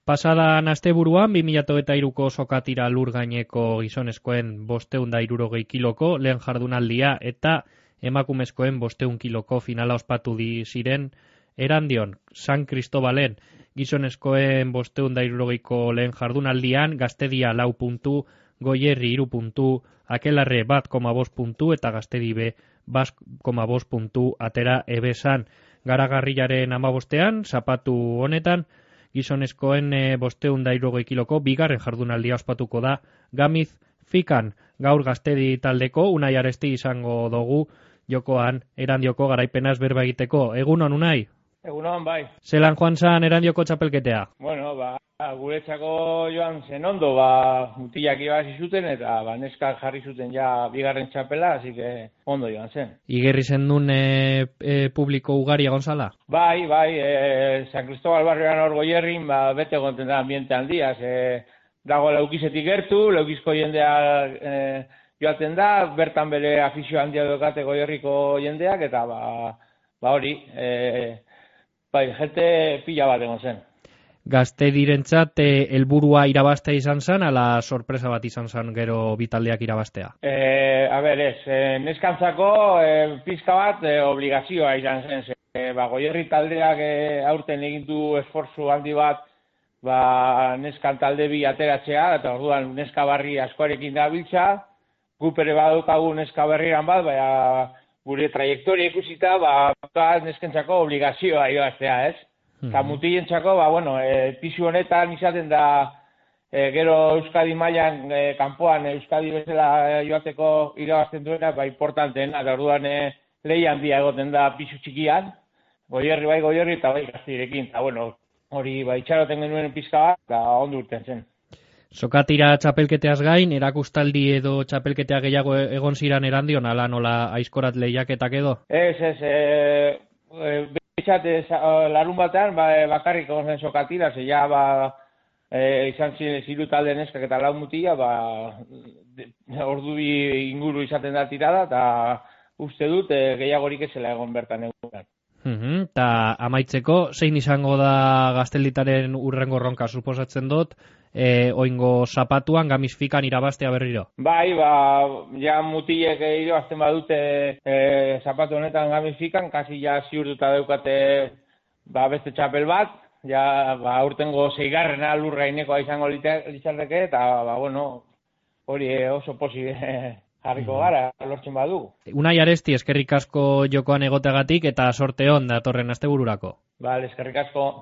Pasadan asteburuan 2023ko sokatira lur gaineko gizonezkoen 560 kiloko lehen jardunaldia eta emakumezkoen 500 kiloko finala ospatu ziren Erandion, San Cristobalen gizonezkoen 560ko lehen jardunaldian Gaztedia 4 puntu, Goierri 3 puntu, Akelarre 1,5 puntu eta Gaztedi B 1,5 puntu atera ebesan. Garagarriaren 15ean, zapatu honetan, gizonezkoen 560 kiloko bigarren jardunaldia ospatuko da Gamiz Fikan. Gaur Gaztedi taldeko Unai Aresti izango dugu jokoan Erandioko garaipenaz berba egiteko. Egunon, Unai? Egunon, bai. Zelan joan zan Erandioko txapelketea? Bueno, guretzako joan zen ondo, mutilak ibasi zuten eta neskak jarri zuten ja bigarren txapela, así que ondo joan zen. Igerri zendun publiko ugari egon zala? Bai, San Cristobal barrioan hor Goierrin, bete gonten da ambiente handiaz, dago Laukizetik gertu, Laukizko jendea joaten da, bertan bere afizio handia dokate Goierriko jendeak, eta hori, jente pila bat egon zen. Gaztedirentzat helburua irabaztea izan zen, ala sorpresa bat izan zen gero bitaldeak irabaztea? Neskantzako pizka bat obligazioa izan zen. Goierri taldeak aurten egin du esfortzu handi bat neskan talde bi ateratzea, eta orduan neska barri askoarekin da biltza, gupere badukagu neska berriran bat, gure trajektoria ikusita, neskentzako obligazioa irabaztea, ez? Eta mutilentzako, pisu honetan izaten da gero Euskadi mailan kanpoan Euskadi bezala joateko irabazten duena, importanteena, eta orduan lehi handia egoten da pisu txikian, Goierri eta Gaztedirekin, eta hori itxaroten genuen pizka bat, eta ondo urten zen. Sokatira txapelketeaz gain, erakustaldi edo txapelketea gehiago egon ziran Erandion, ala nola aizkorat lehiaketak edo? Ez, larun batean bakarrik egon zen sokatira, izan ziren ziru talde neskak eta lau mutila, ordu bi inguru izaten da tirada, eta uste dut gehiagorik ezela egon bertan egunan. Eta amaitzeko, zein izango da Gaztelditaren urrengo ronka, suposatzen dut, oingo zapatuan Gamiz Fikan irabaztea berriro? Ja mutilek irabazten badute zapatu honetan Gamiz Fikan, kasi ja ziurtuta daukate beste txapel bat, urtengo 6. lurrainekoa izango litzateke, eta hori oso posible jarriko gara, lortzen badugu. Unai Aresti, eskerrik asko jokoan egoteagatik eta sorte on datorren astebururako. Eskerrik asko.